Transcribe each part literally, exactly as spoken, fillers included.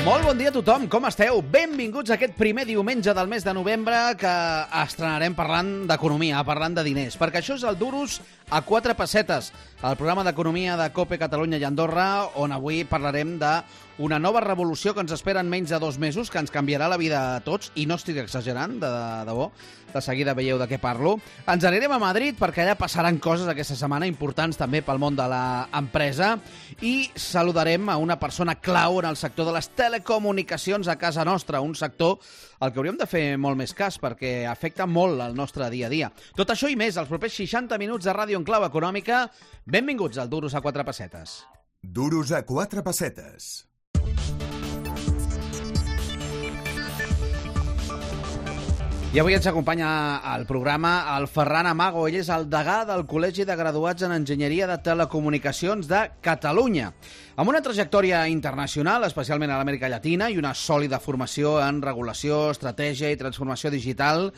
Molt bon dia a tothom, com esteu? Benvinguts a aquest primer diumenge del mes de novembre que estrenarem parlant d'economia, parlant de diners, perquè això és el Duros a quatre pessetes, el programa d'economia de COPE Catalunya i Andorra, on avui parlarem d'una nova revolució que ens espera en menys de dos mesos, que ens canviarà la vida a tots, i no estic exagerant, de, de debò, de seguida veieu de què parlo. Ens anirem a Madrid perquè allà passaran coses aquesta setmana importants també pel món de l'empresa i saludarem a una persona clau en el sector de les telecomunicacions a casa nostra, un sector al que hauríem de fer molt més cas perquè afecta molt el nostre dia a dia. Tot això i més, els propers seixanta minuts de Ràdio en Clau Econòmica. Benvinguts al Duros a quatre pessetes. Duros a quatre pessetes. I avui ens acompanya al programa el Ferran Amago. Ell és el degà del Col·legi de Graduats en Enginyeria de Telecomunicacions de Catalunya. Amb una trajectòria internacional, especialment a l'Amèrica Llatina, i una sòlida formació en regulació, estratègia i transformació digital,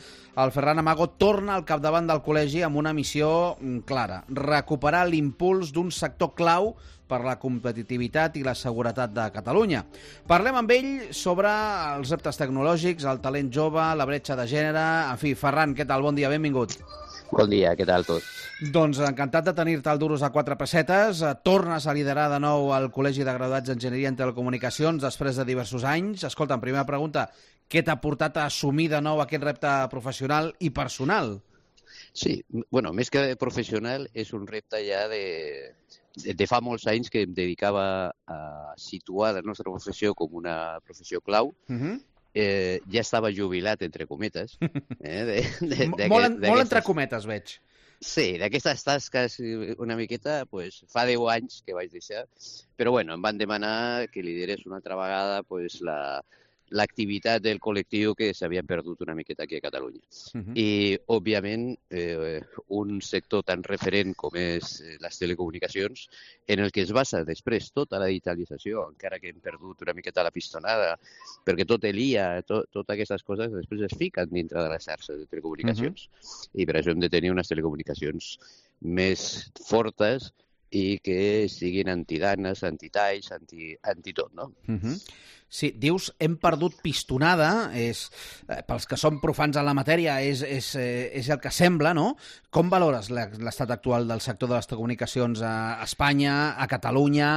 el Ferran Amago torna al capdavant del col·legi amb una missió clara: recuperar l'impuls d'un sector clau per la competitivitat i la seguretat de Catalunya. Parlem amb ell sobre els reptes tecnològics, el talent jove, la bretxa de gènere... En fi, Ferran, què tal? Bon dia, benvingut. Bon dia, què tal tot? Doncs encantat de tenir-te al Duros a quatre pessetes. Tornes a liderar de nou el Col·legi de Graduats d'Enginyeria en Telecomunicacions després de diversos anys. Escolta, primera pregunta, què t'ha portat a assumir de nou aquest repte professional i personal? Sí, bueno, més que professional, és un repte ja de... de fa molts anys que em dedicava a situar la nostra professió com una professió clau. Uh-huh. eh, ja estava jubilat, entre cometes. Eh, de, de, de, molt en, molt entre cometes, veig. Sí, d'aquestes tasques una miqueta, pues, fa deu anys que vaig deixar. Però bueno, em van demanar que liderés una altra vegada pues, la... l'activitat del col·lectiu que s'havia perdut una miqueta aquí a Catalunya. Uh-huh. I, òbviament, eh, un sector tan referent com és les telecomunicacions, en el que es basa després tota la digitalització, encara que hem perdut una miqueta la pistonada, perquè tot l'I A, to, totes aquestes coses, després es fiquen dintre de les xarxes de telecomunicacions. Uh-huh. I per això hem de tenir unes telecomunicacions més fortes i que siguin antidanes, antitalls, anti, anti tot, no? Uh-huh. Sí, dius, hem perdut pistonada, és, eh, pels que som profans en la matèria, és, és, eh, és el que sembla, no? Com valores l'estat actual del sector de les telecomunicacions a Espanya, a Catalunya?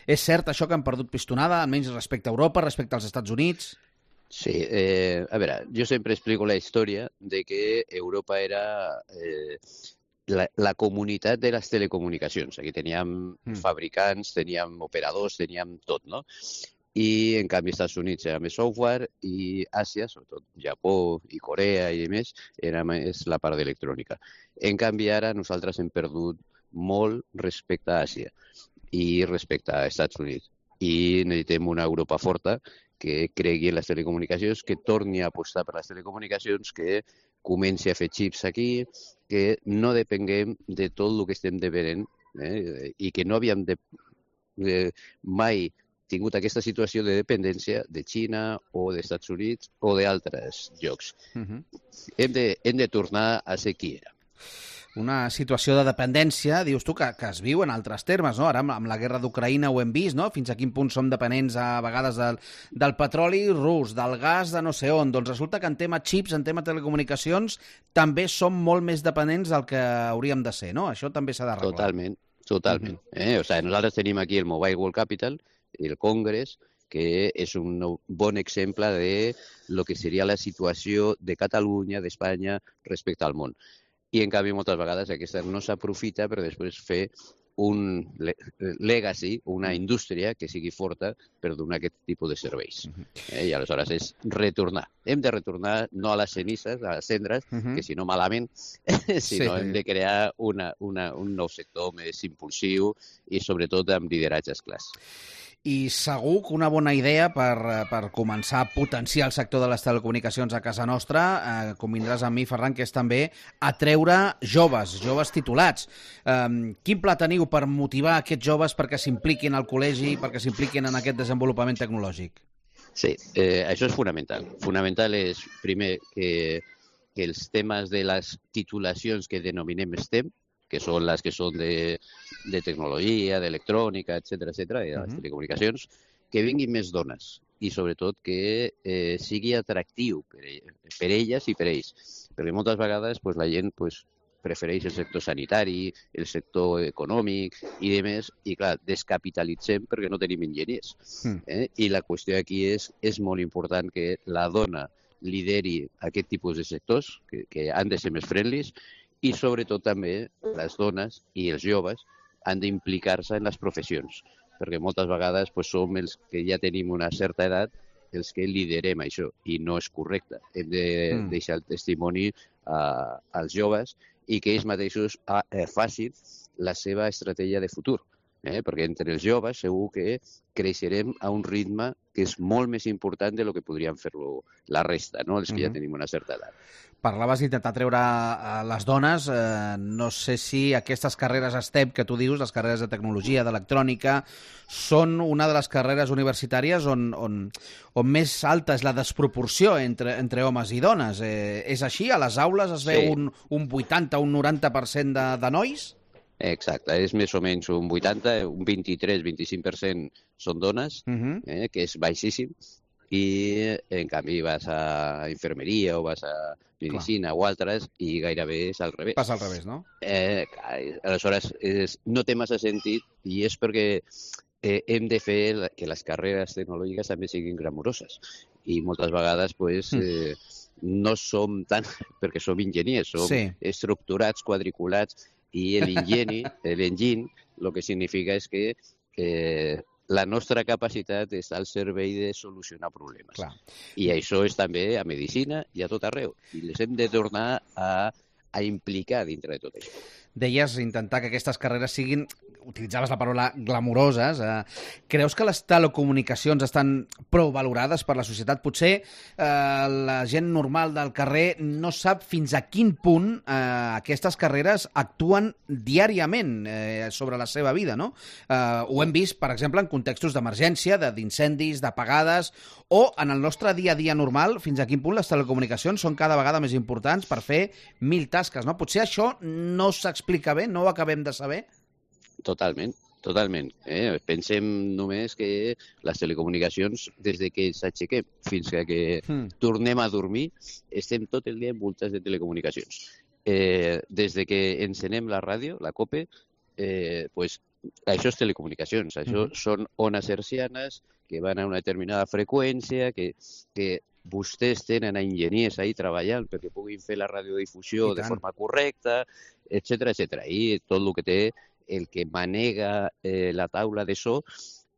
És cert això que hem perdut pistonada, almenys respecte a Europa, respecte als Estats Units? Sí, eh, a veure, jo sempre explico la història de que Europa era... Eh, La, la comunitat de les telecomunicacions. Aquí teníem mm. fabricants, teníem operadors, teníem tot, no? I, en canvi, als Estats Units era més software i Àsia, sobretot Japó i Corea i més, era més la part d'electrònica. En canvi, ara nosaltres hem perdut molt respecte a Àsia i respecte a Estats Units. I necessitem una Europa forta que cregui en les telecomunicacions, que torni a apostar per les telecomunicacions, que comenci a fer xips aquí, que no depenguem de tot el que estem depenent eh, i que no havíem de, de, mai tingut aquesta situació de dependència de Xina o dels Estats Units o d'altres llocs. Uh-huh. Hem de, hem de tornar a ser qui era. Una situació de dependència, dius tu, que, que es viu en altres termes, no? Ara amb, amb la guerra d'Ucraïna ho hem vist, no? Fins a quin punt som dependents a vegades del, del petroli rus, del gas de no sé on. Doncs resulta que en tema xips, en tema telecomunicacions, també som molt més dependents del que hauríem de ser, no? Això també s'ha d'arreglar. Totalment, totalment. Uh-huh. eh? O sigui, nosaltres tenim aquí el Mobile World Capital, el Congress, que és un bon exemple de lo que seria la situació de Catalunya, d'Espanya, respecte al món. I, en canvi, moltes vegades aquesta no s'aprofita per després fer un legacy, una indústria que sigui forta per donar aquest tipus de serveis. Eh? I aleshores és retornar. Hem de retornar no a les cenises, a les cendres, uh-huh. que si no malament, sinó sí. hem de crear una, una, un nou sector més impulsiu i sobretot amb lideratges clars. I segur que una bona idea per, per començar a potenciar el sector de les telecomunicacions a casa nostra, eh, convindràs amb mi, Ferran, que és també atreure joves, joves titulats. Eh, quin pla teniu per motivar aquests joves perquè s'impliquin al col·legi, perquè s'impliquin en aquest desenvolupament tecnològic? Sí, eh, això és fonamental. Fonamental és, primer, que, que els temes de les titulacions que denominem STEM, que són les que són de, de tecnologia, d'electrònica, etcètera, etcètera, i de les uh-huh. telecomunicacions, que vinguin més dones. i sobretot que eh, sigui atractiu per, per elles i per ells. Perquè moltes vegades pues, la gent pues, prefereix el sector sanitari, el sector econòmic i demés, i clar, descapitalitzem perquè no tenim enginyers. Mm. Eh? I la qüestió aquí és, és molt important que la dona lideri aquest tipus de sectors, que, que han de ser més friendlies, i sobretot també les dones i els joves han d'implicar-se en les professions, perquè moltes vegades pues, som els que ja tenim una certa edat els que liderem això, i no és correcte. Hem de mm. deixar el testimoni uh, als joves i que ells mateixos uh, facin la seva estratègia de futur. Eh? Perquè entre els joves segur que creixerem a un ritme que és molt més important de lo que podríem fer-lo la resta, no? Els que mm-hmm. ja tenim una certa edat. Parlaves d'intentar treure les dones. Eh, no sé si aquestes carreres STEM que tu dius, les carreres de tecnologia, d'electrònica, són una de les carreres universitàries on, on, on més alta és la desproporció entre, entre homes i dones. Eh, és així? A les aules es veu sí. un, un vuitanta, un noranta per cent de, de nois? Exacte, és més o menys un vuitanta, un vint-i-tres, vint-i-cinc per cent són dones, uh-huh. eh, que és baixíssim, i en canvi vas a infermeria o vas a medicina Clar. o altres i gairebé és al revés. Passa al revés, no? Eh, aleshores, és, no té massa sentit i és perquè eh, hem de fer que les carreres tecnològiques també siguin glamuroses i moltes vegades pues, eh, no som tant perquè som enginyers, som sí. estructurats, quadriculats, i l'enginy, l'enginy, el que significa és que eh, la nostra capacitat està al servei de solucionar problemes. Clar. I això és també a medicina i a tot arreu. I les hem de tornar a, a implicar dintre de tot això. Deies intentar que aquestes carreres siguin, utilitzaves la paraula glamuroses. Eh, creus que les telecomunicacions estan prou valorades per la societat? Potser eh, la gent normal del carrer no sap fins a quin punt eh, aquestes carreres actuen diàriament eh, sobre la seva vida, no? Eh, ho hem vist, per exemple, en contextos d'emergència, d'incendis, d'apagades, o en el nostre dia a dia normal, fins a quin punt les telecomunicacions són cada vegada més importants per fer mil tasques, no? Potser això no s'explica bé, no ho acabem de saber? Totalment, totalment. Eh? Pensem només que les telecomunicacions, des de que ens aixequem fins que mm. tornem a dormir, estem tot el dia envoltats de telecomunicacions. Eh, des de que encenem la ràdio, la COPE, eh, pues, això és telecomunicacions. Això mm. són ones hertzianes que van a una determinada freqüència, que, que vostès tenen enginyers ahí treballant perquè puguin fer la radiodifusió de forma correcta, etcètera, etcètera. I tot el que té el que manega eh, la taula de so,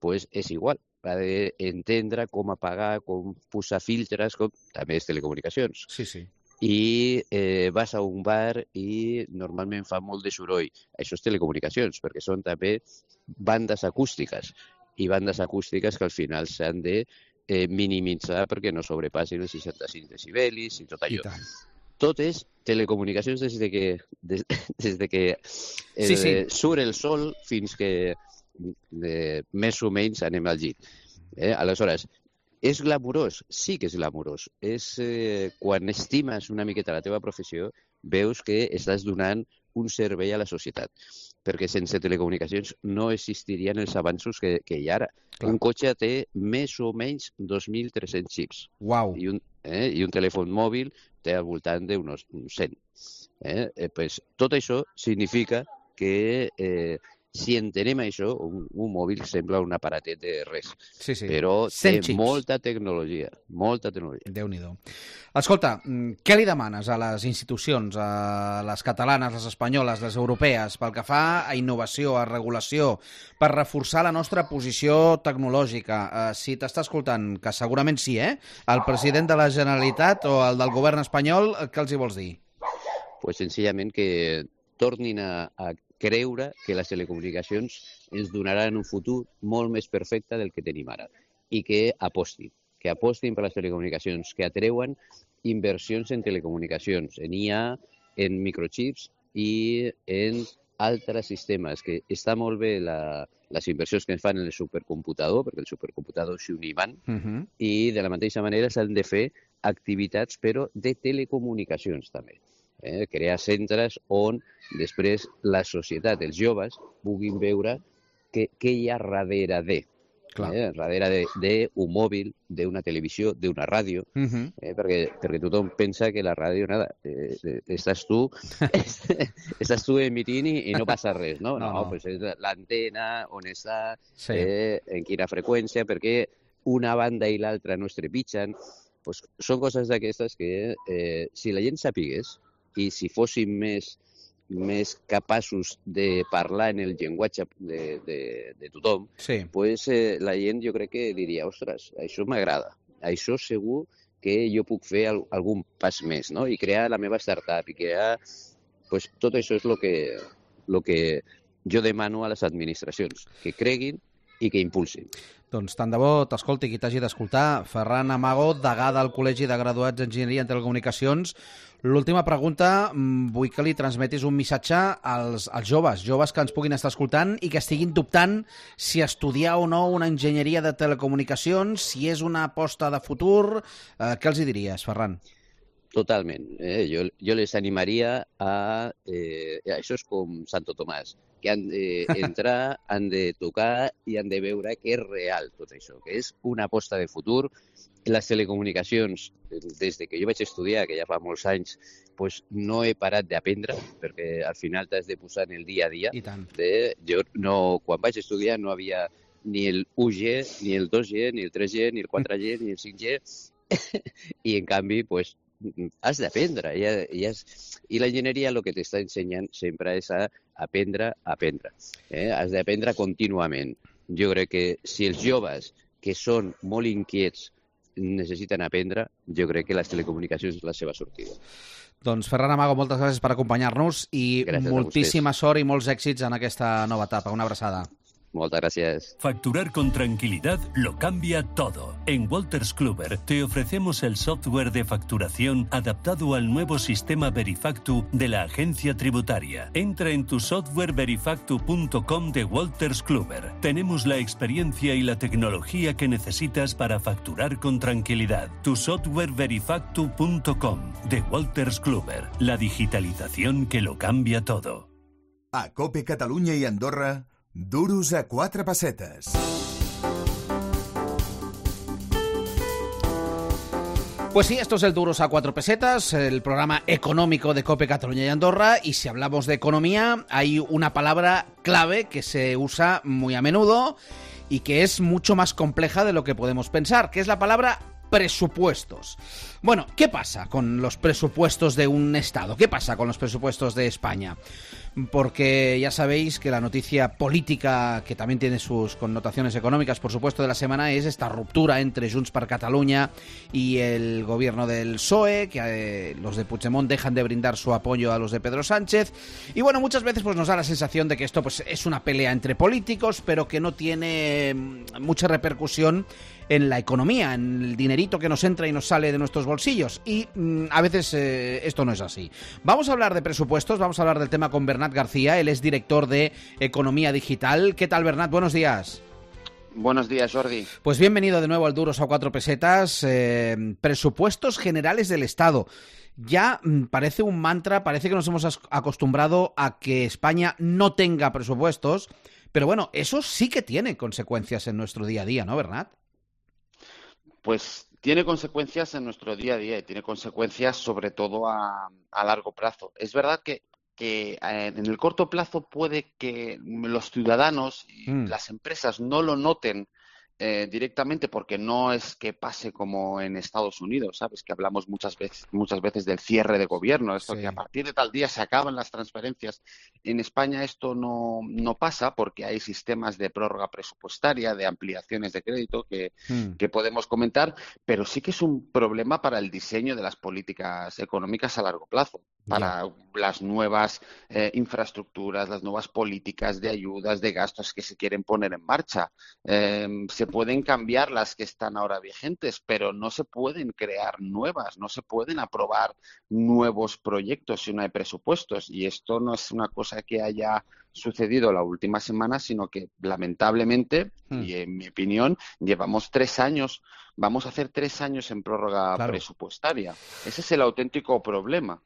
pues és igual. Ha d'entendre com apagar, com posar filtres, com... també és telecomunicacions. Sí, sí. I eh, vas a un bar i normalment fa molt de soroll. Això és telecomunicacions, perquè són també bandes acústiques. I bandes acústiques que al final s'han de eh, minimitzar perquè no sobrepassin els seixanta-cinc decibelis i tot allò. I tot és telecomunicacions des de que, des, des de que eh, sí, sí. surt el sol fins que eh, més o menys anem al llit. Eh? Aleshores, és glamurós? Sí que és glamurós. És, eh, quan estimes una miqueta la teva professió, veus que estàs donant un servei a la societat. Perquè sense telecomunicacions no existirien els avanços que, que hi ha ara. Clar. Un cotxe té més o menys dos mil tres-cents xips. Uau. I un, eh, i un telèfon mòbil té al voltant d'uns cent. Eh? Eh, pues, tot això significa que eh, si entenem això, un, un mòbil sembla un aparatet de res. Sí, sí. Però té xips. molta tecnologia, molta tecnologia. Déu-n'hi-do. Escolta, què li demanes a les institucions, a les catalanes, les espanyoles, les europees, pel que fa a innovació, a regulació, per reforçar la nostra posició tecnològica? Eh, si t'està escoltant, que segurament sí, eh? El president de la Generalitat o el del govern espanyol, què els hi vols dir? Pues senzillament que tornin a, a creure que les telecomunicacions ens donaran un futur molt més perfecte del que tenim ara i que apostin, que apostin per les telecomunicacions, que atreuen inversions en telecomunicacions, en I A, en microchips i en altres sistemes, que està molt bé la, les inversions que es fan en el supercomputador, perquè el supercomputador és un imant, uh-huh. i de la mateixa manera s'han de fer activitats, però de telecomunicacions també. Eh, crear centres on després la societat, els joves, puguin veure què, què hi ha darrere de. eh, darrere d'un mòbil, d'una televisió, d'una ràdio, uh -huh. eh, perquè, perquè tothom pensa que la ràdio, nada, eh, eh, estàs tu estàs tu emitint i, i no passa res, no? No, no, no. Pues és l'antena, on està, sí. eh, en quina freqüència, perquè una banda i l'altra no es trepitgen. Pues són coses d'aquestes que, eh, si la gent sapigués i si fóssim més més capaços de parlar en el llenguatge de, de, de tothom, sí. pues, eh, la gent jo crec que diria, ostres, això m'agrada, això segur que jo puc fer al, algun pas més, no? I crear la meva startup, i crear... Pues, tot això és el que, lo que jo demano a les administracions, que creguin i que impulsin. Doncs tant de bo t'escolti qui t'hagi d'escoltar. Ferran Amago, degà del Col·legi de Graduats d'Enginyeria en Telecomunicacions. L'última pregunta, vull que li transmetis un missatge als, als joves, joves que ens puguin estar escoltant i que estiguin dubtant si estudiar o no una enginyeria de telecomunicacions, si és una aposta de futur. Eh, què els hi diries, Ferran? Totalment. Eh? Jo, jo les animaria a... Eh, això és com Santo Tomàs, que han d'entrar, han de tocar i han de veure que és real tot això, que és una aposta de futur. Les telecomunicacions, des de que jo vaig estudiar, que ja fa molts anys, pues no he parat d'aprendre, perquè al final t'has de posar en el dia a dia. I tant. De, jo no, quan vaig estudiar no havia ni el u ge, ni el dos ge, ni el tres ge, ni el quatre ge, ni el cinc ge, i en canvi, pues, has d'aprendre. I, i, has... I l'enginyeria el que t'està ensenyant sempre és a aprendre a aprendre. Eh? Has d'aprendre contínuament. Jo crec que si els joves, que són molt inquiets, necessiten aprendre, jo crec que les telecomunicacions és la seva sortida. Doncs Ferran Amago, moltes gràcies per acompanyar-nos i gràcies moltíssima sort i molts èxits en aquesta nova etapa. Una abraçada. Muchas gracias. Facturar con tranquilidad lo cambia todo. En Wolters Kluwer te ofrecemos el software de facturación adaptado al nuevo sistema Verifactu de la agencia tributaria. Entra en tu software verifactu punto com de Wolters Kluwer. Tenemos la experiencia y la tecnología que necesitas para facturar con tranquilidad. Tu software verifactu punto com de Wolters Kluwer. La digitalización que lo cambia todo. A COPE Catalunya i Andorra, duros a quatre pessetes. Pues sí, esto es el Duros a cuatro pesetas, el programa económico de COPE Catalunya y Andorra, y si hablamos de economía, hay una palabra clave que se usa muy a menudo y que es mucho más compleja de lo que podemos pensar, que es la palabra presupuestos. Bueno, ¿qué pasa con los presupuestos de un Estado? ¿Qué pasa con los presupuestos de España? Porque ya sabéis que la noticia política, que también tiene sus connotaciones económicas, por supuesto, de la semana, es esta ruptura entre Junts per Catalunya y el gobierno del P S O E, que eh, los de Puigdemont dejan de brindar su apoyo a los de Pedro Sánchez. Y bueno, muchas veces pues nos da la sensación de que esto pues es una pelea entre políticos, pero que no tiene mucha repercusión en la economía, en el dinerito que nos entra y nos sale de nuestros bolsillos. Y mmm, a veces eh, esto no es así. Vamos a hablar de presupuestos, vamos a hablar del tema con Bernat García, él es director de Economía Digital. ¿Qué tal, Bernat? Buenos días. Buenos días, Jordi. Pues bienvenido de nuevo al Duros a cuatro pesetas. Eh, presupuestos generales del Estado. Ya mmm, parece un mantra, parece que nos hemos acostumbrado a que España no tenga presupuestos, pero bueno, eso sí que tiene consecuencias en nuestro día a día, ¿no, Bernat? Pues tiene consecuencias en nuestro día a día y tiene consecuencias sobre todo a, a largo plazo. Es verdad que, que eh, en el corto plazo puede que los ciudadanos y mm. las empresas no lo noten eh, directamente, porque no es que pase como en Estados Unidos, ¿sabes? Que hablamos muchas veces, muchas veces del cierre de gobierno, esto sí. Que a partir de tal día se acaban las transferencias. En España esto no, no pasa porque hay sistemas de prórroga presupuestaria, de ampliaciones de crédito que, mm. que podemos comentar, pero sí que es un problema para el diseño de las políticas económicas a largo plazo, para yeah. las nuevas eh, infraestructuras, las nuevas políticas de ayudas, de gastos que se quieren poner en marcha. Eh, se pueden cambiar las que están ahora vigentes, pero no se pueden crear nuevas, no se pueden aprobar nuevos proyectos si no hay presupuestos. Y esto no es una cosa que haya sucedido la última semana, sino que lamentablemente, hmm. y en mi opinión, llevamos tres años, vamos a hacer tres años en prórroga claro. presupuestaria. Ese es el auténtico problema.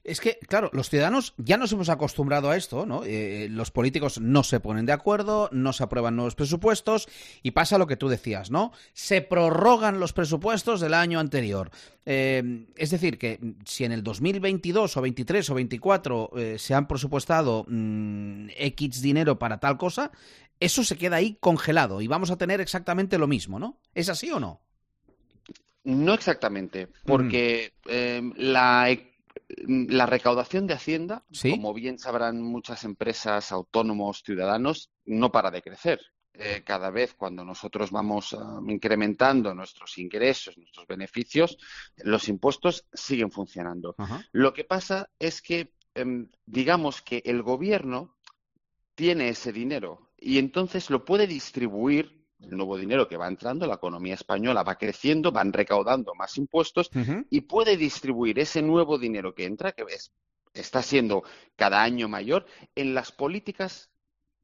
Es que, claro, los ciudadanos ya nos hemos acostumbrado a esto, ¿no? Eh, los políticos no se ponen de acuerdo, no se aprueban nuevos presupuestos y pasa lo que tú decías, ¿no? Se prorrogan los presupuestos del año anterior. Eh, es decir, que si en el dos mil veintidós o veintitrés o veinticuatro eh, se han presupuestado mmm, X dinero para tal cosa, eso se queda ahí congelado y vamos a tener exactamente lo mismo, ¿no? ¿Es así o no? No exactamente, porque mm. eh, la La recaudación de Hacienda, ¿sí?, como bien sabrán muchas empresas, autónomos, ciudadanos, no para de crecer. Eh, cada vez cuando nosotros vamos uh, incrementando nuestros ingresos, nuestros beneficios, los impuestos siguen funcionando. Ajá. Lo que pasa es que, eh, digamos que el gobierno tiene ese dinero y entonces lo puede distribuir. El nuevo dinero que va entrando, la economía española va creciendo, van recaudando más impuestos uh-huh. y puede distribuir ese nuevo dinero que entra, que es, está siendo cada año mayor, en las políticas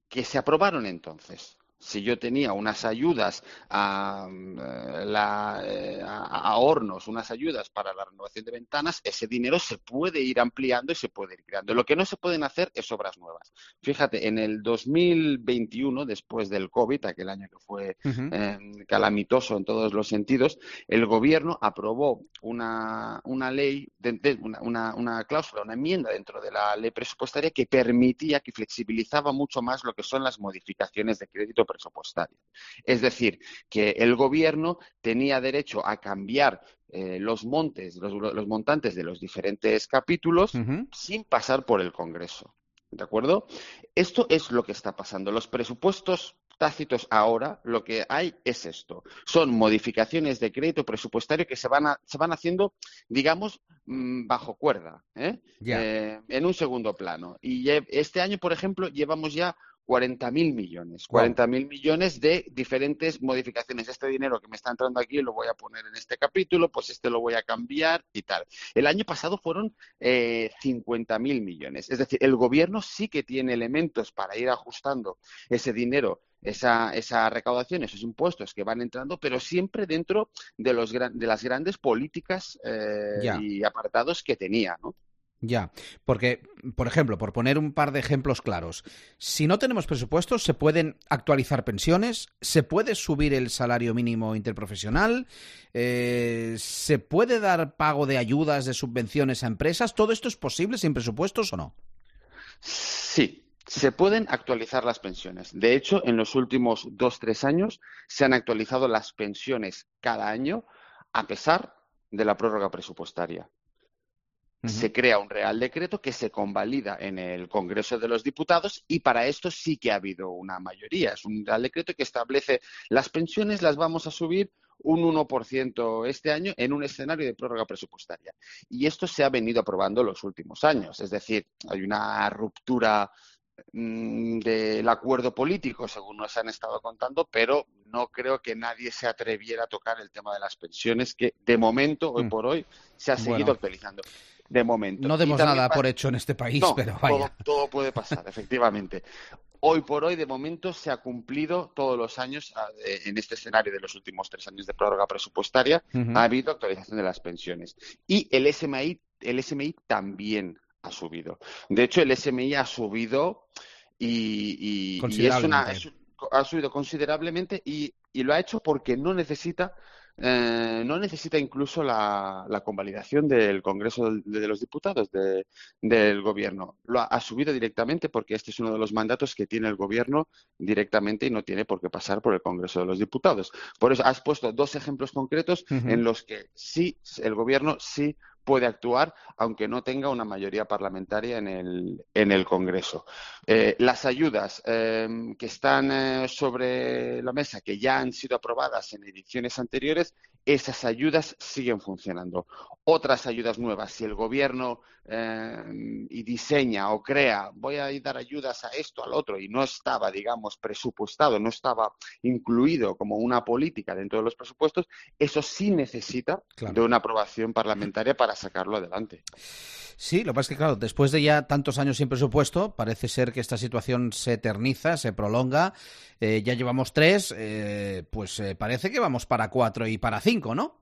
que se aprobaron entonces. Si yo tenía unas ayudas a, la, a, a hornos, unas ayudas para la renovación de ventanas, ese dinero se puede ir ampliando y se puede ir creando. Lo que no se pueden hacer es obras nuevas. Fíjate, en el dos mil veintiuno, después del COVID, aquel año que fue uh-huh. eh, calamitoso en todos los sentidos, el gobierno aprobó una, una ley, de, de, una, una, una cláusula, una enmienda dentro de la ley presupuestaria que permitía, que flexibilizaba mucho más lo que son las modificaciones de crédito presupuestario. Es decir, que el gobierno tenía derecho a cambiar eh, los montes, los, los montantes de los diferentes capítulos uh-huh. sin pasar por el Congreso. ¿De acuerdo? Esto es lo que está pasando. Los presupuestos tácitos ahora, lo que hay es esto. Son modificaciones de crédito presupuestario que se van, a, se van haciendo, digamos, mmm, bajo cuerda, ¿eh? Yeah. Eh, en un segundo plano. Y este año, por ejemplo, llevamos ya cuarenta mil millones, cuarenta mil wow. millones de diferentes modificaciones. Este dinero que me está entrando aquí lo voy a poner en este capítulo, pues este lo voy a cambiar y tal. El año pasado fueron eh, cincuenta mil millones. Es decir, el gobierno sí que tiene elementos para ir ajustando ese dinero, esa, esa recaudación, esos impuestos que van entrando, pero siempre dentro de, los, de las grandes políticas eh, yeah. y apartados que tenía, ¿no? Ya, porque, por ejemplo, por poner un par de ejemplos claros, si no tenemos presupuestos, ¿se pueden actualizar pensiones? ¿Se puede subir el salario mínimo interprofesional? Eh, ¿Se puede dar pago de ayudas, de subvenciones a empresas? ¿Todo esto es posible sin presupuestos o no? Sí. Se pueden actualizar las pensiones. De hecho, en los últimos dos, tres años se han actualizado las pensiones cada año a pesar de la prórroga presupuestaria. Uh-huh. Se crea un Real Decreto que se convalida en el Congreso de los Diputados y para esto sí que ha habido una mayoría. Es un Real Decreto que establece las pensiones las vamos a subir un uno por ciento este año en un escenario de prórroga presupuestaria. Y esto se ha venido aprobando los últimos años. Es decir, hay una ruptura del acuerdo político, según nos han estado contando, pero no creo que nadie se atreviera a tocar el tema de las pensiones, que de momento, hoy por hoy, se ha seguido bueno. actualizando. De momento. No demos nada pasa... por hecho en este país, no, pero vaya. Todo, todo puede pasar, efectivamente. Hoy por hoy, de momento, se ha cumplido todos los años, en este escenario de los últimos tres años de prórroga presupuestaria, uh-huh. ha habido actualización de las pensiones. Y el S M I, el S M I también ha subido. De hecho, el S M I ha subido y, y, y es una, es, ha subido considerablemente y, y lo ha hecho porque no necesita eh, no necesita incluso la, la convalidación del Congreso de, de los Diputados de, del Gobierno. Lo ha, ha subido directamente porque este es uno de los mandatos que tiene el Gobierno directamente y no tiene por qué pasar por el Congreso de los Diputados. Por eso has puesto dos ejemplos concretos uh-huh. en los que sí, el Gobierno sí puede actuar, aunque no tenga una mayoría parlamentaria en el, en el Congreso. Eh, las ayudas eh, que están eh, sobre la mesa, que ya han sido aprobadas en ediciones anteriores, esas ayudas siguen funcionando. Otras ayudas nuevas, si el Gobierno eh, y diseña o crea, voy a dar ayudas a esto, al otro, y no estaba, digamos, presupuestado, no estaba incluido como una política dentro de los presupuestos, eso sí necesita claro. de una aprobación parlamentaria para sacarlo adelante. Sí, lo que pasa es que, claro, después de ya tantos años sin presupuesto, parece ser que esta situación se eterniza, se prolonga. Eh, ya llevamos tres, eh, pues eh, parece que vamos para cuatro y para cinco, ¿no?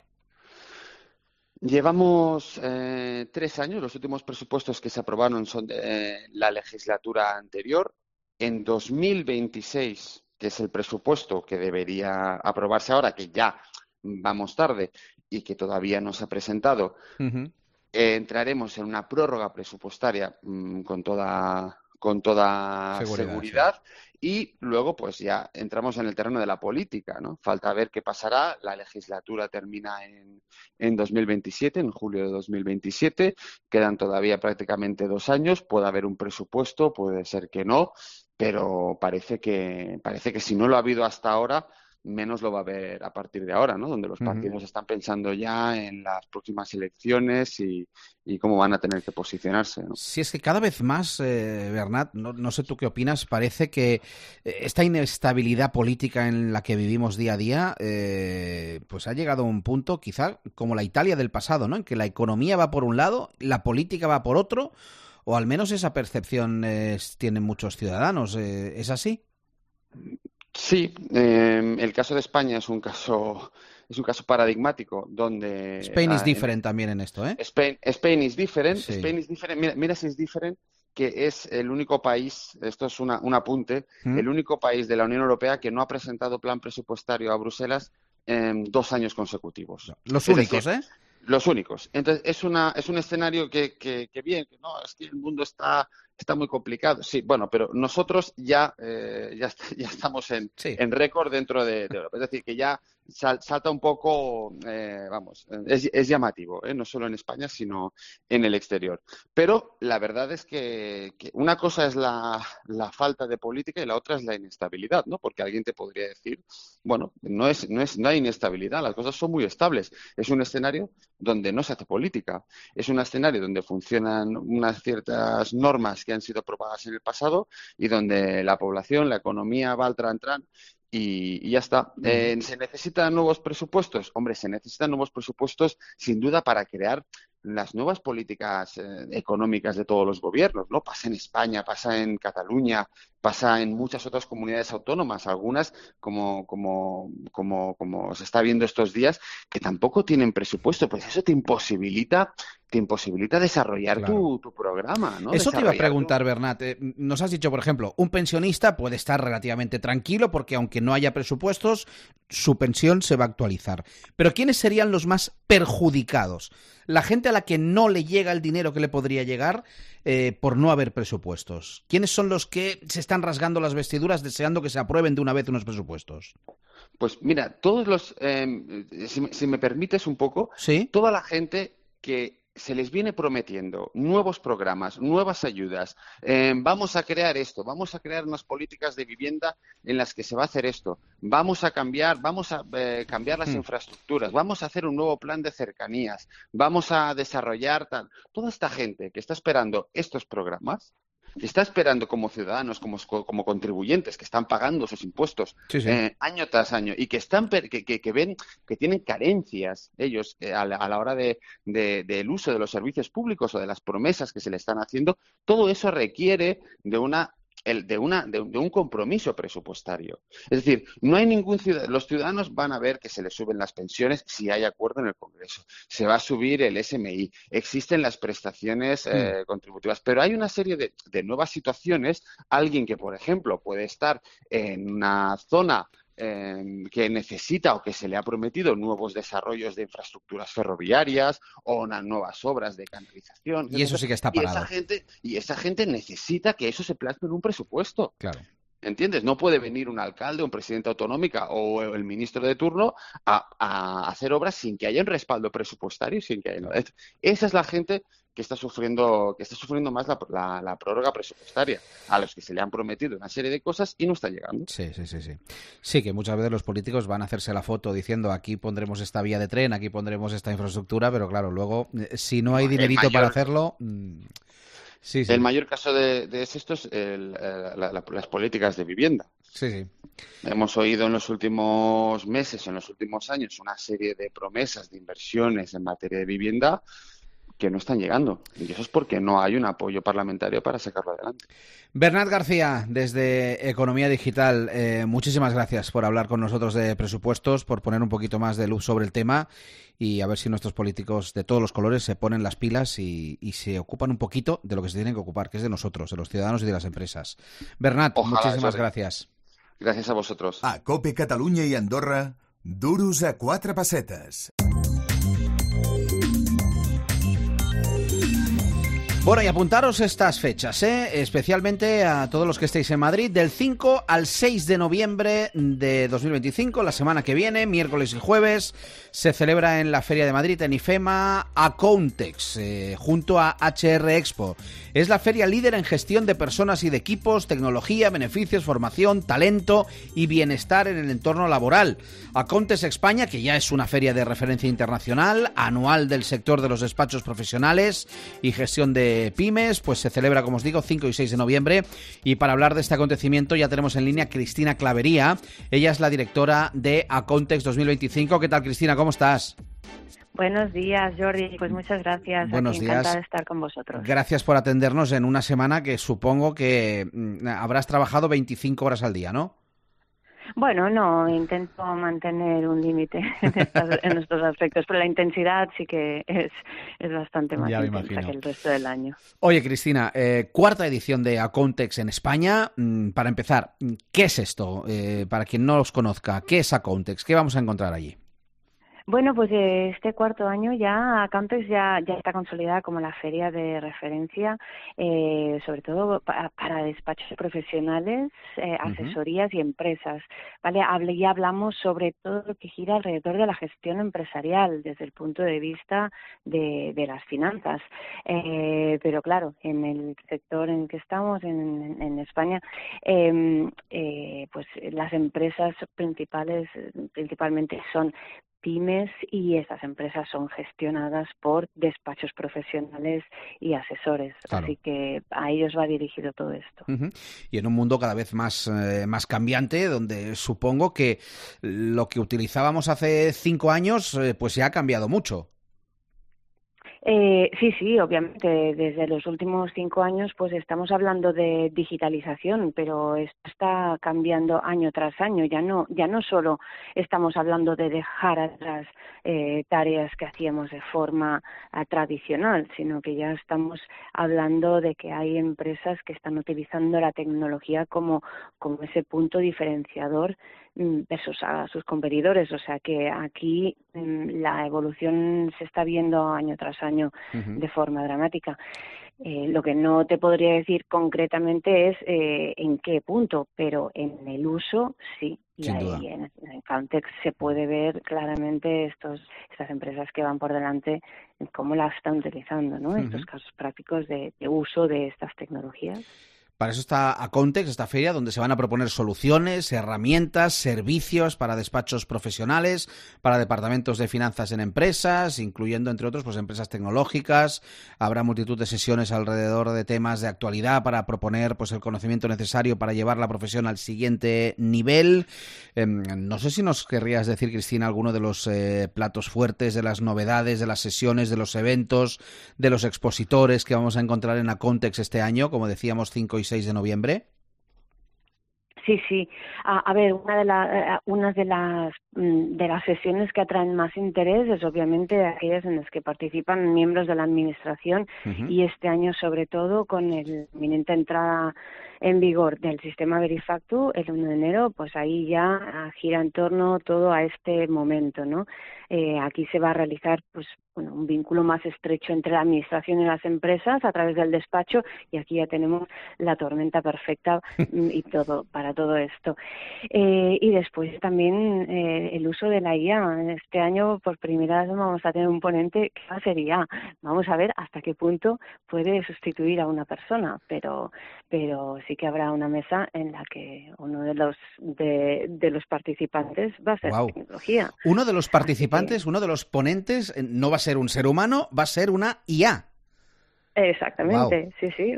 Llevamos eh, tres años, los últimos presupuestos que se aprobaron son de eh, la legislatura anterior. En dos mil veintiséis, que es el presupuesto que debería aprobarse ahora, que ya vamos tarde y que todavía no se ha presentado, Uh-huh. eh, entraremos en una prórroga presupuestaria mmm, con toda, con toda Seguridad, seguridad. Y luego, pues ya entramos en el terreno de la política, ¿no? Falta ver qué pasará. La legislatura termina en, en dos mil veintisiete, en julio de dos mil veintisiete. Quedan todavía prácticamente dos años. Puede haber un presupuesto, puede ser que no, pero parece que, parece que si no lo ha habido hasta ahora, menos lo va a haber a partir de ahora, ¿no? Donde los partidos uh-huh. están pensando ya en las próximas elecciones y, y cómo van a tener que posicionarse, ¿no? Sí, es que cada vez más, eh, Bernat, no, no sé tú qué opinas, parece que esta inestabilidad política en la que vivimos día a día, eh, pues ha llegado a un punto, quizá como la Italia del pasado, ¿no? En que la economía va por un lado, la política va por otro, o al menos esa percepción eh, tienen muchos ciudadanos. Eh, ¿Es así? Sí, eh, el caso de España es un caso es un caso paradigmático donde Spain is ah, different también en esto, ¿eh? Spain, Spain is different, Sí. Spain is different. Mira, mira si es different, que es el único país, esto es una, un apunte, ¿Mm? el único país de la Unión Europea que no ha presentado plan presupuestario a Bruselas en dos años consecutivos. Los es únicos, decir, ¿eh? Los únicos. Entonces, es una es un escenario que, que, que bien, que no, es que el mundo está, está muy complicado. Sí, bueno, pero nosotros ya, eh, ya, ya estamos en, sí. en récord dentro de, de Europa. Es decir, que ya sal, salta un poco, eh, vamos, es, es llamativo, ¿eh? No solo en España, sino en el exterior. Pero la verdad es que, que una cosa es la, la falta de política y la otra es la inestabilidad, ¿no? Porque alguien te podría decir, bueno, no es, no es, no hay inestabilidad, las cosas son muy estables. Es un escenario donde no se hace política. Es un escenario donde funcionan unas ciertas normas que han sido aprobadas en el pasado y donde la población, la economía va al tran-tran y, y ya está. Eh, ¿Se necesitan nuevos presupuestos? Hombre, se necesitan nuevos presupuestos sin duda para crear las nuevas políticas eh, económicas de todos los gobiernos, ¿no? Pasa en España, pasa en Cataluña, pasa en muchas otras comunidades autónomas, algunas como, como, como, como se está viendo estos días, que tampoco tienen presupuesto. Pues eso te imposibilita, te imposibilita desarrollar claro. tu, tu programa, ¿no? Eso te iba a preguntar, tu... Bernat. Eh, nos has dicho, por ejemplo, un pensionista puede estar relativamente tranquilo porque aunque no haya presupuestos, su pensión se va a actualizar. Pero ¿quiénes serían los más perjudicados? La gente a la que no le llega el dinero que le podría llegar eh, por no haber presupuestos. ¿Quiénes son los que se están rasgando las vestiduras deseando que se aprueben de una vez unos presupuestos? Pues mira, todos los, eh, si, si me permites un poco, ¿sí? Toda la gente que se les viene prometiendo nuevos programas, nuevas ayudas, eh, vamos a crear esto, vamos a crear unas políticas de vivienda en las que se va a hacer esto, vamos a cambiar, vamos a eh, cambiar las mm. infraestructuras, vamos a hacer un nuevo plan de cercanías, vamos a desarrollar tal. Toda esta gente que está esperando estos programas, que está esperando como ciudadanos, como, como contribuyentes, que están pagando sus impuestos sí, sí. Eh, año tras año y que están que, que, que ven que tienen carencias ellos eh, a, la, a la hora de, de, del uso de los servicios públicos o de las promesas que se le están haciendo, todo eso requiere de una El, de, una, de, de un compromiso presupuestario. Es decir, no hay ningún ciudadano, los ciudadanos van a ver que se les suben las pensiones si hay acuerdo en el Congreso, se va a subir el S M I, existen las prestaciones eh, contributivas, pero hay una serie de, de nuevas situaciones. Alguien que, por ejemplo, puede estar en una zona Eh, que necesita o que se le ha prometido nuevos desarrollos de infraestructuras ferroviarias o unas nuevas obras de canalización. Y eso sí que está parado. Y esa gente, y esa gente necesita que eso se plasme en un presupuesto. Claro. ¿Entiendes? No puede venir un alcalde, un presidente autonómica o el ministro de turno a, a hacer obras sin que haya un respaldo presupuestario, sin que haya... Esa es la gente que está sufriendo, que está sufriendo más la, la, la prórroga presupuestaria, a los que se le han prometido una serie de cosas y no está llegando. Sí, sí, sí, sí. Sí, que muchas veces los políticos van a hacerse la foto diciendo aquí pondremos esta vía de tren, aquí pondremos esta infraestructura, pero claro, luego si no hay dinerito mayor... para hacerlo... Mmm... Sí, sí. El mayor caso de, de esto es el, la, la, las políticas de vivienda. Sí, sí. Hemos oído en los últimos meses, en los últimos años, una serie de promesas de inversiones en materia de vivienda que no están llegando. Y eso es porque no hay un apoyo parlamentario para sacarlo adelante. Bernat García, desde Economía Digital, eh, muchísimas gracias por hablar con nosotros de presupuestos, por poner un poquito más de luz sobre el tema y a ver si nuestros políticos de todos los colores se ponen las pilas y, y se ocupan un poquito de lo que se tienen que ocupar, que es de nosotros, de los ciudadanos y de las empresas. Bernat, Ojalá, muchísimas Jordi. gracias. Gracias a vosotros. A COPE Catalunya i Andorra, duros a quatre pessetes. Bueno, y apuntaros estas fechas, ¿eh? Especialmente a todos los que estéis en Madrid, del cinco al seis de noviembre de dos mil veinticinco, la semana que viene, miércoles y jueves, se celebra en la Feria de Madrid, en IFEMA, Accountex, eh, junto a H R Expo. Es la feria líder en gestión de personas y de equipos, tecnología, beneficios, formación, talento y bienestar en el entorno laboral. Accountex España, que ya es una feria de referencia internacional, anual del sector de los despachos profesionales y gestión de pymes, pues se celebra, como os digo, cinco y seis de noviembre. Y para hablar de este acontecimiento ya tenemos en línea a Cristina Clavería. Ella es la directora de Accountex dos mil veinticinco. ¿Qué tal, Cristina? ¿Cómo estás? Buenos días, Jordi. Pues muchas gracias. Buenos Aquí días. encantada de estar con vosotros. Gracias por atendernos en una semana que supongo que mm, habrás trabajado veinticinco horas al día, ¿no? Bueno, no, intento mantener un límite en, estas- en estos aspectos, pero la intensidad sí que es, es bastante más Ya me intensa imagino. que el resto del año. Oye, Cristina, eh, cuarta edición de Accountex en España. Mm, Para empezar, ¿qué es esto? Eh, para quien no los conozca, ¿qué es Accountex? ¿Qué vamos a encontrar allí? Bueno, pues eh, este cuarto año ya Accountex ya, ya está consolidada como la feria de referencia, eh, sobre todo pa- para despachos profesionales, eh, asesorías y empresas. Vale, Hable, ya hablamos sobre todo lo que gira alrededor de la gestión empresarial desde el punto de vista de, de las finanzas. Eh, pero claro, en el sector en que estamos, en, en España, eh, eh, pues las empresas principales, eh, principalmente son pymes y estas empresas son gestionadas por despachos profesionales y asesores. Claro. Así que a ellos va dirigido todo esto. Ujú. Y en un mundo cada vez más, eh, más cambiante, donde supongo que lo que utilizábamos hace cinco años, eh, pues ya ha cambiado mucho. Eh, sí, sí, obviamente desde los últimos cinco años pues estamos hablando de digitalización, pero esto está cambiando año tras año. Ya no, ya no solo estamos hablando de dejar atrás eh, tareas que hacíamos de forma eh, tradicional, sino que ya estamos hablando de que hay empresas que están utilizando la tecnología como, como ese punto diferenciador mm, versus a sus competidores. O sea que aquí mm, la evolución se está viendo año tras año Ujú. de forma dramática. Eh, lo que no te podría decir concretamente es eh, en qué punto, pero en el uso sí. Y Sin ahí duda. en, en Accountex se puede ver claramente estos estas empresas que van por delante, cómo las están utilizando, ¿no? Ujú. Estos casos prácticos de, de uso de estas tecnologías. Para eso está Accountex, esta feria, donde se van a proponer soluciones, herramientas, servicios para despachos profesionales, para departamentos de finanzas en empresas, incluyendo, entre otros, pues empresas tecnológicas. Habrá multitud de sesiones alrededor de temas de actualidad para proponer pues el conocimiento necesario para llevar la profesión al siguiente nivel. Eh, no sé si nos querrías decir, Cristina, alguno de los eh, platos fuertes, de las novedades, de las sesiones, de los eventos, de los expositores que vamos a encontrar en Accountex este año, como decíamos, cinco y seis de noviembre. Sí, sí. A, a ver, una de, la, una de las mm, de las sesiones que atraen más interés es obviamente aquellas en las que participan miembros de la administración. Uh-huh. Y este año sobre todo con la inminente entrada en vigor del sistema Verifactu el uno de enero, pues ahí ya gira en torno todo a este momento, ¿no? Eh, aquí se va a realizar pues bueno, un vínculo más estrecho entre la administración y las empresas a través del despacho, y aquí ya tenemos la tormenta perfecta y todo para todo esto. Eh, y después también eh, el uso de la I A. Este año por primera vez vamos a tener un ponente que va a ser I A. Vamos a ver hasta qué punto puede sustituir a una persona, pero pero sí que habrá una mesa en la que uno de los de, de los participantes va a ser Wow. tecnología. Uno de los participantes, uno de los ponentes, eh, no va a ser un ser humano, va a ser una I A. Exactamente, wow. sí, sí.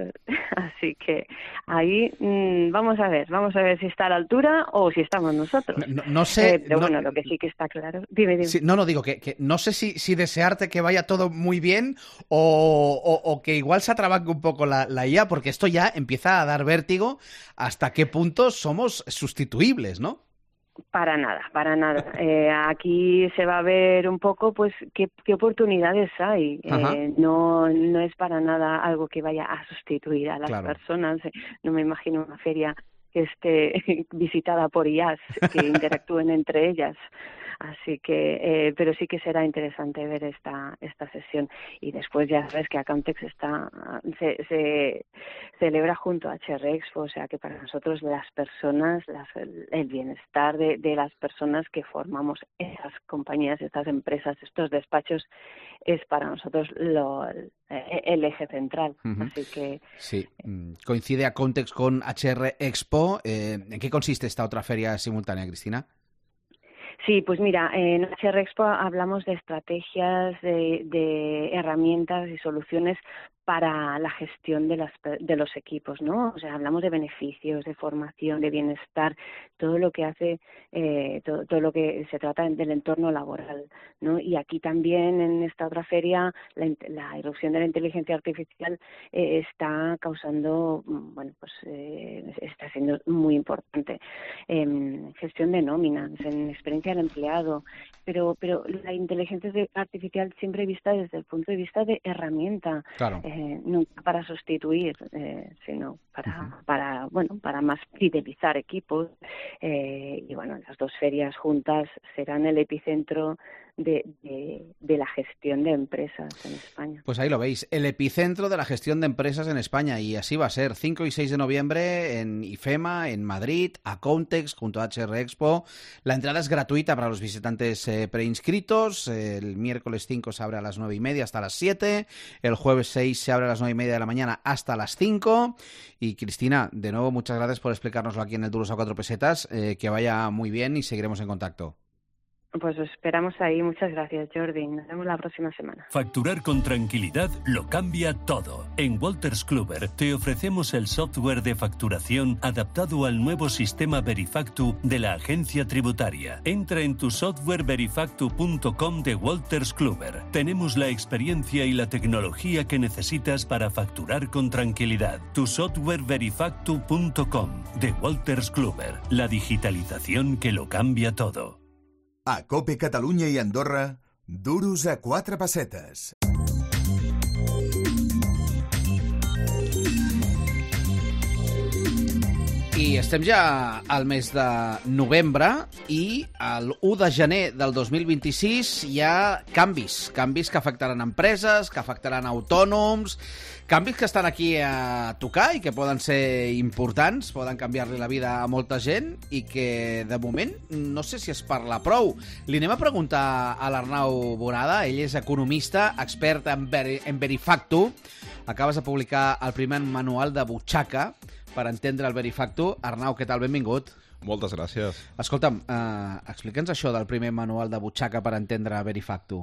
Así que ahí mmm, vamos a ver, vamos a ver si está a la altura o si estamos nosotros. No, no, no sé. Eh, pero no, bueno, lo que sí que está claro. Dime, dime. Sí, no, no, digo que, que no sé si, si desearte que vaya todo muy bien o, o, o que igual se atrabanque un poco la, la I A, porque esto ya empieza a dar vértigo hasta qué punto somos sustituibles, ¿no? Para nada, para nada. Eh, aquí se va a ver un poco, pues, qué, qué oportunidades hay. Eh, no, no es para nada algo que vaya a sustituir a las claro. personas. No me imagino una feria que esté visitada por I As, que interactúen entre ellas. Así que, eh, pero sí que será interesante ver esta esta sesión. Y después ya sabes que Accountex está se, se celebra junto a H R Expo, o sea que para nosotros las personas, las, el bienestar de, de las personas que formamos esas compañías, estas empresas, estos despachos, es para nosotros lo, el eje central. Uh-huh. Así que sí, coincide Accountex con H R Expo. Eh, ¿En qué consiste esta otra feria simultánea, Cristina? Sí, pues mira, en H R Expo hablamos de estrategias, de, de herramientas y soluciones para la gestión de, las, de los equipos, ¿no? O sea, hablamos de beneficios, de formación, de bienestar, todo lo que hace, eh, todo, todo lo que se trata del entorno laboral, ¿no? Y aquí también en esta otra feria la, la irrupción de la inteligencia artificial eh, está causando, bueno, pues eh, está siendo muy importante. En gestión de nóminas, en experiencia del empleado, pero pero la inteligencia artificial siempre vista desde el punto de vista de herramienta. Claro. Eh, nunca para sustituir, eh, sino para, uh-huh. para, bueno, para más fidelizar equipos. Eh, y bueno, las dos ferias juntas serán el epicentro de, de, de la gestión de empresas en España. Pues ahí lo veis, el epicentro de la gestión de empresas en España, y así va a ser, cinco y seis de noviembre en IFEMA, en Madrid, Accountex, junto a H R Expo. La entrada es gratuita para los visitantes eh, preinscritos. El miércoles cinco se abre a las nueve y media hasta las siete, el jueves seis se abre a las nueve y media de la mañana hasta las cinco. Y Cristina, de nuevo, muchas gracias por explicárnoslo aquí en el Duros a Cuatro Pesetas. Eh, que vaya muy bien y seguiremos en contacto. Pues os esperamos ahí. Muchas gracias, Jordi. Nos vemos la próxima semana. Facturar con tranquilidad lo cambia todo. En Wolters Kluwer te ofrecemos el software de facturación adaptado al nuevo sistema Verifactu de la agencia tributaria. Entra en tu software verifactu punto com de Wolters Kluwer. Tenemos la experiencia y la tecnología que necesitas para facturar con tranquilidad. Tu software verifactu punto com de Wolters Kluwer. La digitalización que lo cambia todo. A COPE Catalunya i Andorra, Duros a Quatre Pessetes. I estem ja al mes de novembre i l'u de gener del dos mil vint-i-sis hi ha canvis, canvis que afectaran empreses, que afectaran autònoms, canvis que estan aquí a tocar i que poden ser importants, poden canviar-li la vida a molta gent i que, de moment, no sé si es parla prou. Li anem a preguntar a l'Arnau Bonada, ell és economista, expert en, Veri, en Verifactu. Acabes de publicar el primer manual de butxaca per entendre el Verifactu. Arnau, què tal? Benvingut. Moltes gràcies. Escolta'm, eh, explica'ns això del primer manual de butxaca per entendre Verifactu.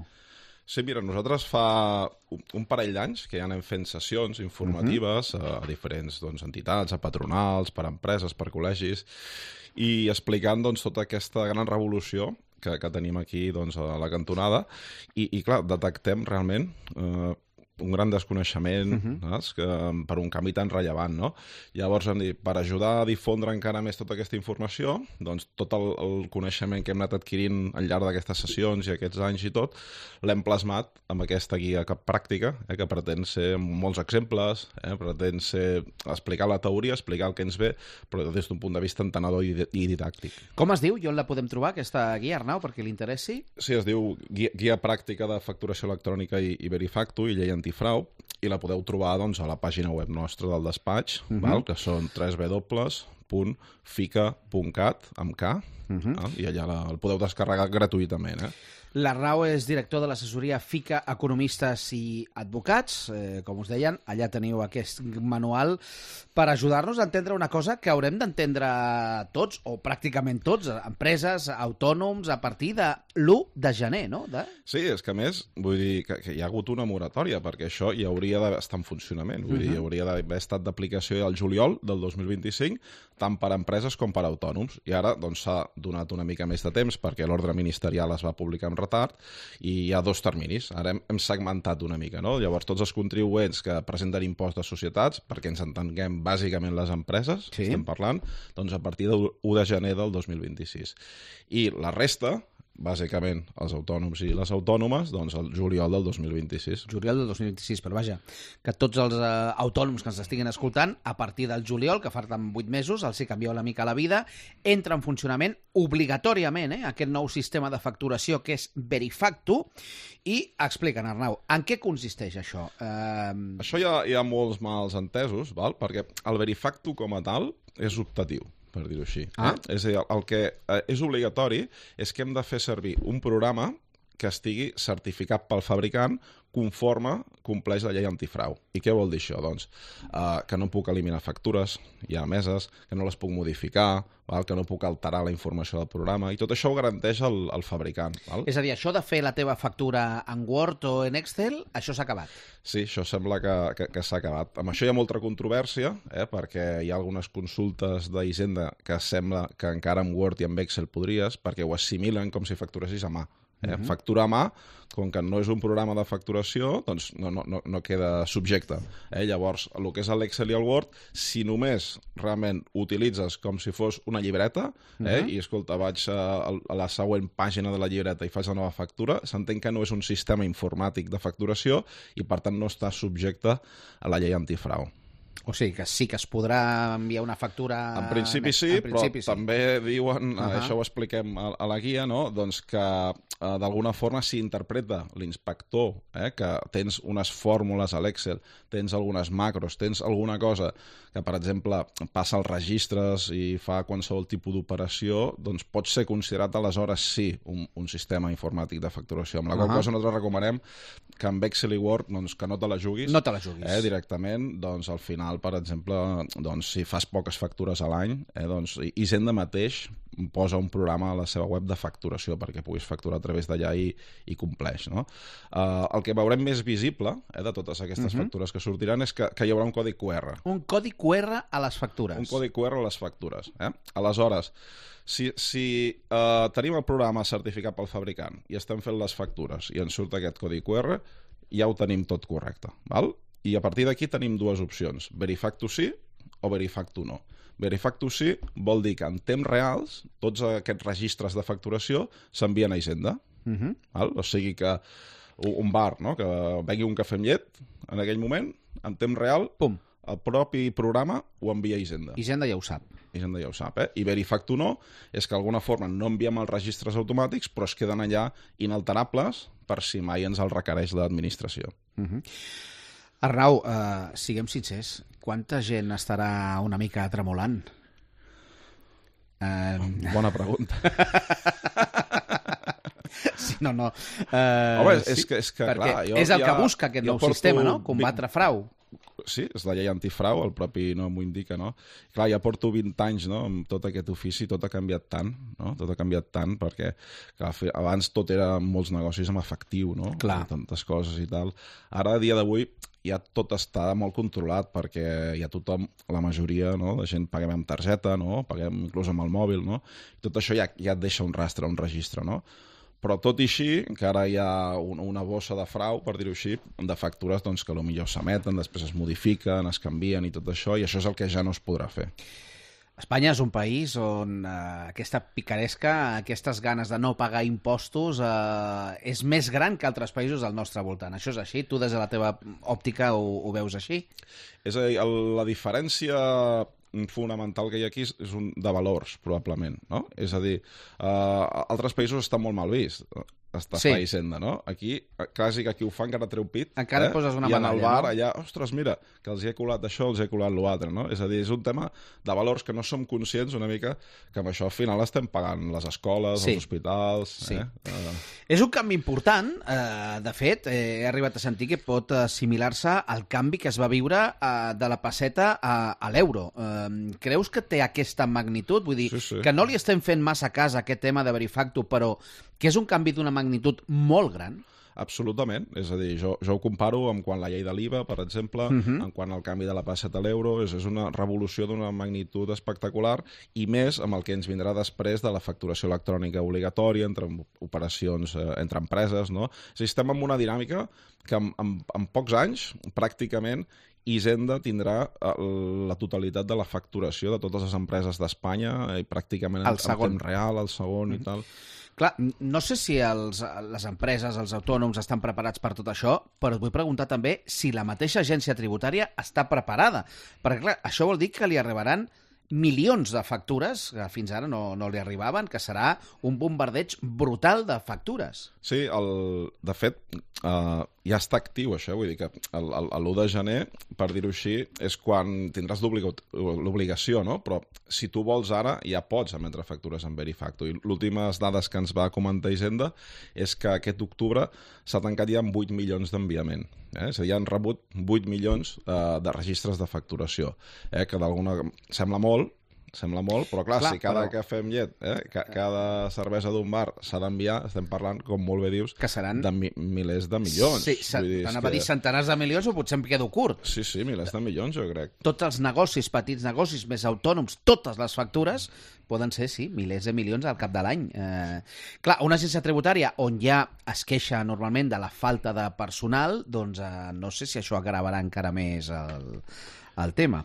Sí, mira, nosaltres fa un parell d'anys que ja anem fent sessions informatives uh-huh. a diferents doncs, entitats, a patronals, per empreses, per col·legis, i explicant doncs, tota aquesta gran revolució que, que tenim aquí doncs, a la cantonada. I, i clar, detectem realment eh, un gran desconeixement uh-huh. que, per un canvi tan rellevant, no? Llavors hem dit, per ajudar a difondre encara més tota aquesta informació, doncs tot el, el coneixement que hem anat adquirint al llarg d'aquestes sessions i aquests anys i tot, l'hem plasmat amb aquesta guia pràctica, eh, que pretén ser molts exemples, eh, pretén ser explicar la teoria, explicar el que ens ve, però des d'un punt de vista entenedor i, i didàctic. Com es diu? I on la podem trobar, aquesta guia, Arnau, perquè li interessi? Sí, es diu Guia, guia pràctica de facturació electrònica i, i Verifactu i llei antifrau, i la podeu trobar doncs, a la pàgina web nostra del despatx, uh-huh. val? Que són w w w punt fica punt cat, amb K, Mhm. eh? I allà la, el podeu descarregar gratuïtament. Eh? L'Arnau és director de l'assessoria FICA Economistes i Advocats. Eh, com us deien, allà teniu aquest manual per ajudar-nos a entendre una cosa que haurem d'entendre tots, o pràcticament tots, empreses, autònoms, a partir de l'u de gener, no? De... Sí, és que a més, vull dir que, que hi ha hagut una moratòria, perquè això ja hauria d'estar en funcionament. Vull dir, hauria d'haver estat d'aplicació al juliol del dos mil vint-i-cinc, tant per a empreses com per a autònoms. I ara doncs, s'ha donat una mica més de temps perquè l'ordre ministerial es va publicar amb retard i hi ha dos terminis. Ara hem, hem segmentat una mica, no? Llavors, tots els contribuents que presenten impost de societats, perquè ens entenguem bàsicament les empreses, Sí. estem parlant, doncs a partir de l'u de gener del dos mil vint-i-sis. I la resta, bàsicament els autònoms i les autònomes, doncs el juliol del dos mil vint-i-sis. Juliol del dos mil vint-i-sis, però vaja, que tots els eh, autònoms que ens estiguin escoltant, a partir del juliol, que falten vuit mesos, els hi canvieu una mica la vida, entra en funcionament obligatòriament eh, aquest nou sistema de facturació que és Verifactu, i explica'n, Arnau, en què consisteix això? Eh... Això hi ha, hi ha molts mals entesos, val? Perquè el Verifactu com a tal és optatiu, per dir-ho així. Ah. Eh? És a dir, el que eh, és obligatori és que hem de fer servir un programa que estigui certificat pel fabricant conforme compleix la llei antifrau. I què vol dir això? Doncs eh, que no puc eliminar factures ja emeses, que no les puc modificar, val? Que no puc alterar la informació del programa, i tot això ho garanteix el, el fabricant. Val? És a dir, això de fer la teva factura en Word o en Excel, això s'ha acabat. Sí, això sembla que, que, que s'ha acabat. Amb això hi ha molta controvèrsia, eh, perquè hi ha algunes consultes d'Hisenda que sembla que encara amb Word i amb Excel podries, perquè ho assimilen com si facturessis a mà. Eh? Uh-huh. Factura a mà, com que no és un programa de facturació, doncs no, no, no, no queda subjecte. Eh? Llavors, el que és l'Excel i el Word, si només realment utilitzes com si fos una llibreta, eh? Uh-huh. I escolta, vaig a, a la següent pàgina de la llibreta i faig la nova factura, s'entén que no és un sistema informàtic de facturació i per tant no està subjecte a la llei antifrau. O sigui, que sí que es podrà enviar una factura... En principi sí, en principi, però sí. també diuen, uh Ahà. -huh. això ho expliquem a, a la guia, no? Doncs que eh, d'alguna forma s'hi interpreta l'inspector, eh? Que tens unes fórmules a l'Excel, tens algunes macros, tens alguna cosa que, per exemple, passa als registres i fa qualsevol tipus d'operació, doncs pot ser considerat aleshores sí un, un sistema informàtic de facturació. Amb la qual Ahà. cosa nosaltres recomanem que amb Excel i Word doncs, que no te la juguis. No te la juguis. Eh, directament, doncs al final, per exemple, doncs, si fas poques factures a l'any, eh, doncs Hisenda mateix posa un programa a la seva web de facturació perquè puguis facturar a través d'allà i, i compleix. No? Uh, el que veurem més visible eh, de totes aquestes Mhm. factures que sortiran és que, que hi haurà un codi Q R. Un codi Q R a les factures. Un codi Q R a les factures. Eh? Aleshores, si, si uh, tenim el programa certificat pel fabricant i estem fent les factures i ens surt aquest codi Q R, ja ho tenim tot correcte. Val? I a partir d'aquí tenim dues opcions. Verifactu sí o Verifactu no. Verifactu sí vol dir que en temps reals tots aquests registres de facturació s'envien a Hisenda. Mhm. Val? O sigui que un bar, no? Que vengui un cafè amb llet en aquell moment, en temps real, Pum. el propi programa ho envia a Hisenda. Hisenda ja ho sap. Hisenda ja ho sap, eh? I Verifactu no, és que d'alguna forma no enviem els registres automàtics, però es queden allà inalterables per si mai ens el requereix l'administració. Mhm. Arnau, eh, siguem sincers, quanta gent estarà una mica tremolant? Eh... Bona pregunta. Sí, no, no. Eh, Home, és, sí, és que, és que perquè clar, jo és el ja, que busca aquest jo nou porto sistema, no? Combatre vint frau. Sí, és la llei antifrau, el propi nom ho indica, no? Clar, ja porto vint anys, no?, amb tot aquest ofici, tot ha canviat tant, no? Tot ha canviat tant perquè clar, abans tot era molts negocis amb efectiu, no? Clar. Tantes coses i tal. Ara, a dia d'avui, ja tot està molt controlat perquè ja tothom, la majoria, no?, de gent paguem amb targeta, no?, paguem inclús amb el mòbil, no? I tot això ja, ja et deixa un rastre, un registre, no? Però tot i així, que ara hi ha una bossa de frau, per dir-ho així, de factures doncs, que potser s'emeten, després es modifiquen, es canvien i tot això, i això és el que ja no es podrà fer. Espanya és un país on eh, aquesta picaresca, aquestes ganes de no pagar impostos eh, és més gran que altres països del nostre voltant. Això és així? Tu des de la teva òptica ho, ho veus així? És a dir, el, la diferència fonamental que hi ha aquí és un de valors, probablement, no? És a dir, uh, altres països està molt mal vist. estàs Sí. a Hisenda, no? Aquí, quasi que qui ho fa encara treu pit. Encara eh? et poses una I en el medalla, bar, no? allà, ostres, mira, que els hi he colat això, els hi he colat l'altre, no? És a dir, és un tema de valors que no som conscients una mica que amb això al final estem pagant les escoles, Sí. els hospitals... Sí. Eh? Uh, És un canvi important, eh, de fet, eh, he arribat a sentir que pot assimilar-se al canvi que es va viure eh, de la pesseta a, a l'euro. Eh, creus que té aquesta magnitud? Vull dir, Sí, sí. que no li estem fent massa cas a aquest tema de Verifactu, però que és un canvi d'una magnitud molt gran? Absolutament, és a dir, jo, jo ho comparo amb quan la llei de l'I V A, per exemple, uh -huh. amb quan el canvi de la pesseta a l'euro, és, és una revolució d'una magnitud espectacular, i més amb el que ens vindrà després de la facturació electrònica obligatòria entre operacions eh, entre empreses, no? És a dir, estem en una dinàmica que en, en, en pocs anys, pràcticament, Hisenda tindrà eh, la totalitat de la facturació de totes les empreses d'Espanya i pràcticament en, El segon. en temps real, el segon uh -huh. i tal. Clar, no sé si els, les empreses, els autònoms estan preparats per tot això, però et vull preguntar també si la mateixa agència tributària està preparada. Perquè, clar, això vol dir que li arribaran milions de factures, que fins ara no, no li arribaven, que serà un bombardeig brutal de factures. Sí, el, de fet, uh, ja està actiu això, vull dir que l'u de gener, per dir-ho així, és quan tindràs l'obligació, no? Però si tu vols ara, ja pots emetre factures en Verifactu. I l'últimes dades que ens va comentar Hisenda és que aquest octubre s'ha tancat ja amb vuit milions d'enviament. Eh? És a dir, ja han rebut vuit milions uh, de registres de facturació, eh? Que d'alguna... sembla molt, sembla molt, però clar, clar si cada però... cafè amb llet, eh? Ca cada cervesa d'un bar s'ha d'enviar, estem parlant, com molt bé dius, que seran... de mi milers de milions. Sí, t'anava a dir centenars de milions o potser em quedo curt. Sí, sí, milers de milions, jo crec. Tots els negocis, petits negocis, més autònoms, totes les factures, poden ser, sí, milers de milions al cap de l'any. Eh, clar, una agència tributària on ja es queixa normalment de la falta de personal, doncs eh, no sé si això agravarà encara més el, el tema.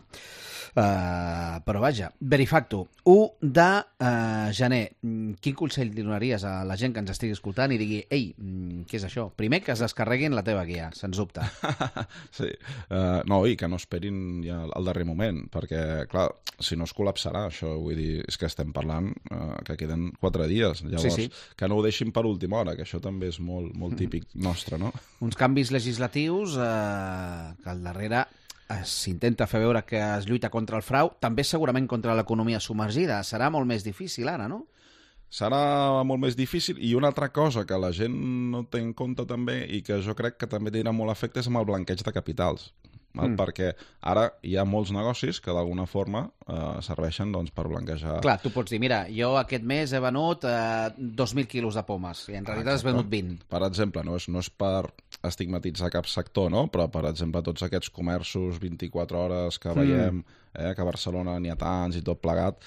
Uh, però vaja, Verifactu, u de uh, gener. Quin consell li donaries a la gent que ens estigui escoltant i digui, ei, què és això? Primer, que es descarreguin la teva guia, sens dubte. Sí, uh, no, i que no esperin ja al darrer moment, perquè, clar, si no es col·lapsarà això, vull dir, és que estem parlant uh, que queden quatre dies, llavors, sí, sí. Que no ho deixin per última hora, que això també és molt, molt típic nostre, no? Uns canvis legislatius uh, que al darrere s'intenta fer veure que es lluita contra el frau, també segurament contra l'economia submergida. Serà molt més difícil ara, no? Serà molt més difícil, i una altra cosa que la gent no té en compte també i que jo crec que també tindrà molt efecte és amb el blanqueig de capitals. Val? Mm. Perquè ara hi ha molts negocis que d'alguna forma eh, serveixen doncs, per blanquejar... Clar, tu pots dir, mira, jo aquest mes he venut eh, dos mil quilos de pomes i en realitat has venut vint. Per exemple, no és, no és per estigmatitzar cap sector, no? Però, per exemple, tots aquests comerços vint-i-quatre hores que veiem, mm. eh, que a Barcelona n'hi ha tants i tot plegat,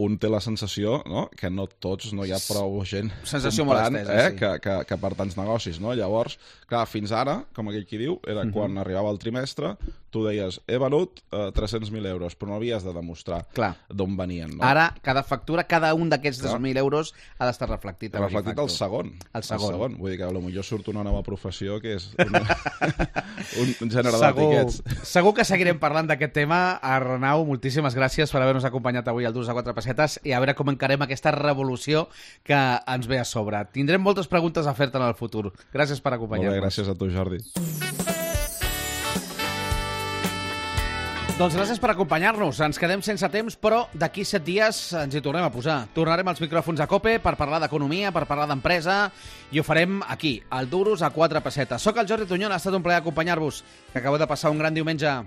un té la sensació, no?, que no tots, no hi ha prou gent sensació comprant, molt estesa, eh, sí. que, que, que per tants negocis, no? Llavors, clar, fins ara, com aquell qui diu, era uh-huh. quan arribava el trimestre, tu deies, he venut eh, tres-cents mil euros, però no havies de demostrar d'on venien, no? Ara, cada factura, cada un d'aquests tres mil euros ha d'estar reflectit. Reflectit al segon. El segon. El segon. Vull dir que potser surt una nova professió que és una... un gènere d'etiquets. Segur que seguirem parlant d'aquest tema. Arnau, moltíssimes gràcies per haver-nos acompanyat avui al Durs a quatre pessetes i a veure com encarem aquesta revolució que ens ve a sobre. Tindrem moltes preguntes a fer-te en el futur. Gràcies per acompanyar-nos. Molt bé, gràcies a tu, Jordi. Doncs gràcies per acompanyar-nos. Ens quedem sense temps, però d'aquí set dies ens hi tornem a posar. Tornarem als micròfons a COPE per parlar d'economia, per parlar d'empresa, i ho farem aquí, al Duros a quatre pessetes. Soc el Jordi Tunyón, ha estat un plaer acompanyar-vos. Que acabeu de passar un gran diumenge.